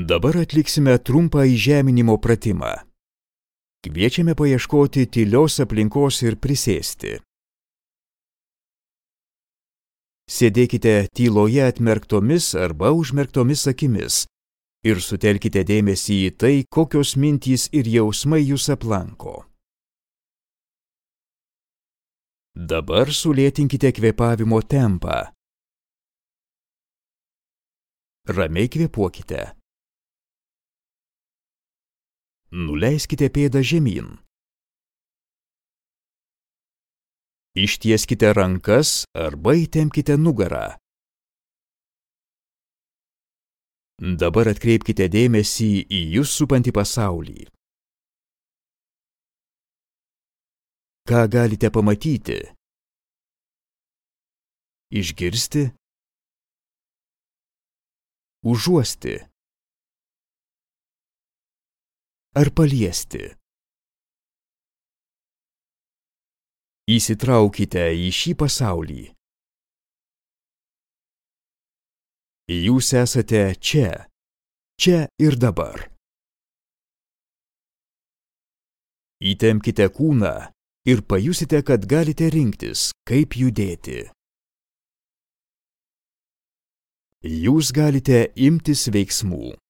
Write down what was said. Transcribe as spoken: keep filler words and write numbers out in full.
Dabar atliksime trumpą įžeminimo pratimą. Kviečiame paieškoti tylios aplinkos ir prisėsti. Sėdėkite tyloje atmerktomis arba užmerktomis akimis ir sutelkite dėmesį į tai, kokios mintys ir jausmai jūs aplanko. Dabar sulėtinkite kvėpavimo tempą. Ramiai kvėpuokite. Nuleiskite pėdą žemyn. Ištieskite rankas arba įtempkite nugarą. Dabar atkreipkite dėmesį į jus supantį pasaulį. Ką galite pamatyti? Išgirsti? Užuosti? Ar paliesti? Įsitraukite į šį pasaulį. Jūs esate čia, čia ir dabar. Įtempkite kūną ir pajusite, kad galite rinktis, kaip judėti. Jūs galite imtis veiksmų.